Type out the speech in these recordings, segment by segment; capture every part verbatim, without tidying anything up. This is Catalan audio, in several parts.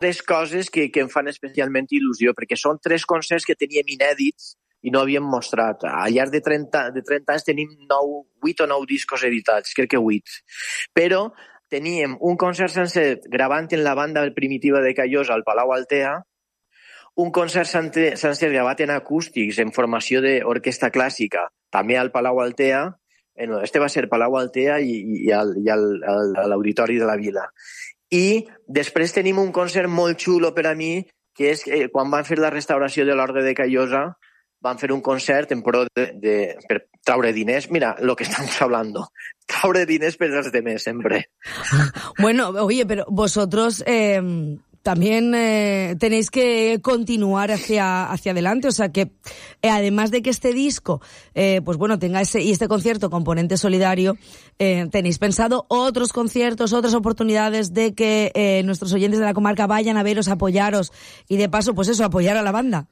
tres coses que, que em fan especialment il·lusió, perquè són tres concerts que teníem inèdits i no havíem mostrat. Al llarg de trenta, de trenta anys tenim nou, vuit o nou discos editats, crec que vuit. Però teníem un concert sencer gravant en la banda primitiva de Callosa al Palau Altea, un concert sencer gravat en acústics en formació d'orquestra clàssica, també al Palau Altea. Este va ser Palau Altea i, i, al, i al, al, a l'Auditori de la Vila. I després tenim un concert molt xulo per a mi, que és eh, quan van fer la restauració de l'Orgue de Callosa, van fer un concert en pro de, de, per traure diners. Mira, lo que estamos hablando. Traure diners per als demés, sempre. Bueno, oye, pero vosotros eh, también eh, tenéis que continuar hacia, hacia adelante. O sea, que eh, además de que este disco, eh, pues bueno, tenga ese y este concierto componente solidario, eh, tenéis pensado otros conciertos, otras oportunidades de que eh, nuestros oyentes de la comarca vayan a veros, apoyaros y de paso, pues eso, apoyar a la banda.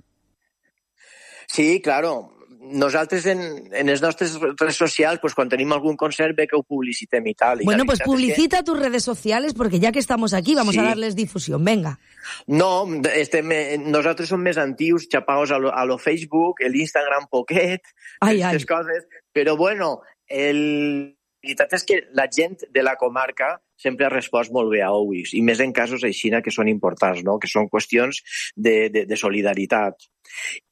Sí, claro. Nosaltres en, en les nostres redes socials, pues, quan tenim algún concert, ve que ho publicitem i tal. Bueno, pues publicita que... tus redes sociales, porque ya que estamos aquí, vamos sí. a darles difusión. Venga. No, estem, nosaltres som més antius, xapaos a lo, a lo Facebook, l'Instagram poquet, aquestes coses. Però bueno, el... la veritat és que la gent de la comarca sempre ha respost molt bé a Owix, i més en casos així que són importants, no? Que són qüestions de, de, de solidaritat.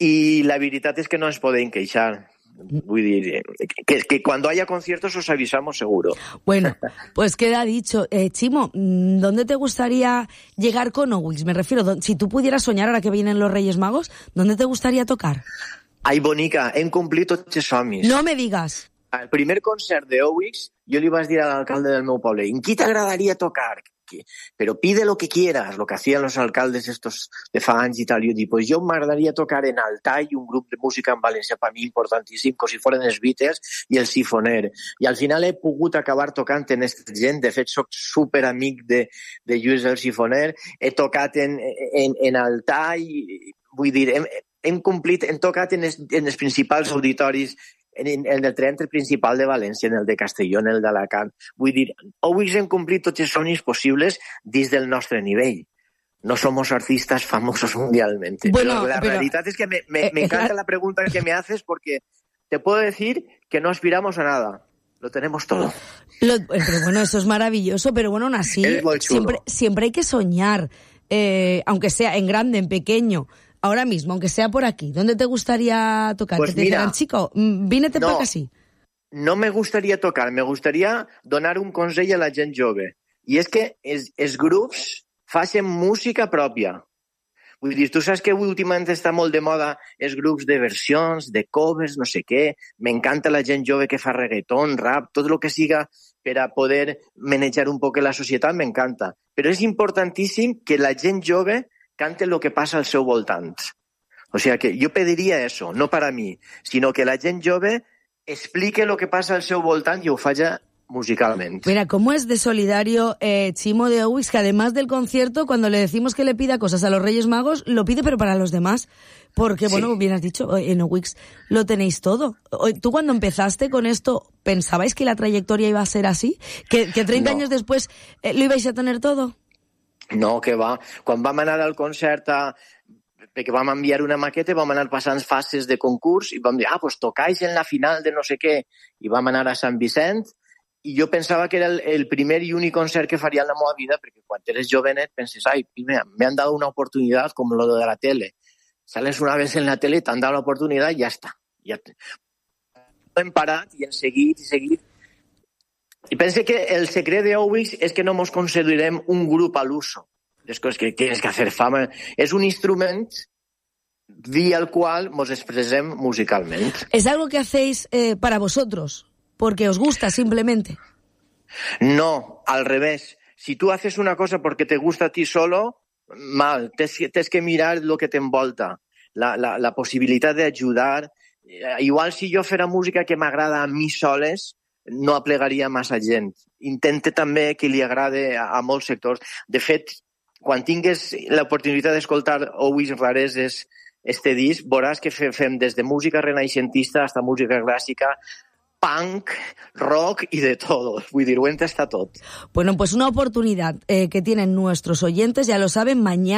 I la veritat és que no ens podem queixar. Vull dir, que, que cuando haya conciertos os avisamos seguro. Bueno, pues queda dicho. Eh, Chimo, ¿dónde te gustaría llegar con Owix? Me refiero, si tú pudieras soñar ahora que vienen los Reyes Magos, ¿dónde te gustaría tocar? Ai, bonica, hem complit tots els somnis. No me digas. Al primer concert de Owix, jo li vaig dir a l'alcalde del meu poble, ¿en qui t'agradaria tocar? Pero pide lo que quieras, lo que hacían los alcaldes estos de fa anys y tal. Yo digo, pues yo me agradaría tocar en Altai, un grup de música en València per mi importantíssim, com si foren els Beatles i el Sifoner. I al final he pogut acabar tocant en aquesta gent. De fet, soc superamic de, de Lluís el Sifoner. He tocat en, en, en Altai, vull dir, hem, hem complit, hem tocat en els, en els principals auditoris, en, en el teatre principal de València, en el de Castelló, en el d'Alacant. Vull dir, avui hem complit tots els somnis possibles dins del nostre nivell. No somos artistas famosos mundialmente. Bueno, pero la pero, realidad es que me, me, eh, me encanta eh, la pregunta que me haces, porque te puedo decir que no aspiramos a nada. Lo tenemos todo. Lo, pero bueno, eso es maravilloso, pero bueno, aún así, siempre, siempre hay que soñar, eh, aunque sea en grande, en pequeño. Ahora mismo, aunque sea por aquí, ¿dónde te gustaría tocar? Pues que te mira, dijeran, chico, vínete no, por así. No me gustaría tocar, me gustaría donar un consell a la gent jove. I és que els, els grups facin música pròpia. Vull dir, tu saps que últimament està molt de moda els grups de versions, de covers, no sé què. M'encanta la gent jove que fa reggaeton, rap, tot el que siga per a poder manejar un poc la societat, m'encanta. Però és importantíssim que la gent jove cante lo que pasa al seu voltant. O sea que yo pediría eso, no para mí, sino que la gent jove explique lo que pasa al seu voltant y ho faja musicalmente. Mira, ¿cómo es de solidario eh, Chimo de Owix, que además del concierto, cuando le decimos que le pida cosas a los Reyes Magos, lo pide pero para los demás? Porque, bueno, sí. Bien has dicho, en Owix lo tenéis todo. ¿Tú cuando empezaste con esto, pensabais que la trayectoria iba a ser así? ¿Que, que treinta no. años después eh, lo ibais a tener todo? No, que va. Quan vam anar al concert, a... perquè vam enviar una maqueta, vam anar passant fases de concurs i vam dir, ah, pues tocais en la final de no sé què. I vam anar a Sant Vicent i jo pensava que era el, el primer i únic concert que faria en la meva vida, perquè quan eres jovenet penses, ai, me han dado una oportunidad com lo de la tele. Sales una vez en la tele, t'han dado la oportunidad i ja està. Ja... Hem parat i hem seguit i seguit. I pense que el secret de Owix és que no ens considerem un grup al uso. Les coses que tienes que hacer fama. És un instrument vía el cual nos expresem musicalmente. ¿Es algo que hacéis eh, para vosotros? ¿Porque os gusta simplemente? No, al revés. Si tú haces una cosa porque te gusta a ti solo, mal. Tienes que mirar lo que te envolta. La, la, la possibilitat d'ajudar. Igual si jo fera música que m'agrada a mi soles, no aplegaria massa gent. Intente també que li agrade a, a molts sectors. De fet, quan tingues l'oportunitat d'escoltar Owix Rareses este disc, veuràs que fem des de música renaixentista fins a música clàssica, punk, rock y de todo. Vull dir, ho està tot. Bueno, pues una oportunidad eh, que tienen nuestros oyentes, ya lo saben, mañana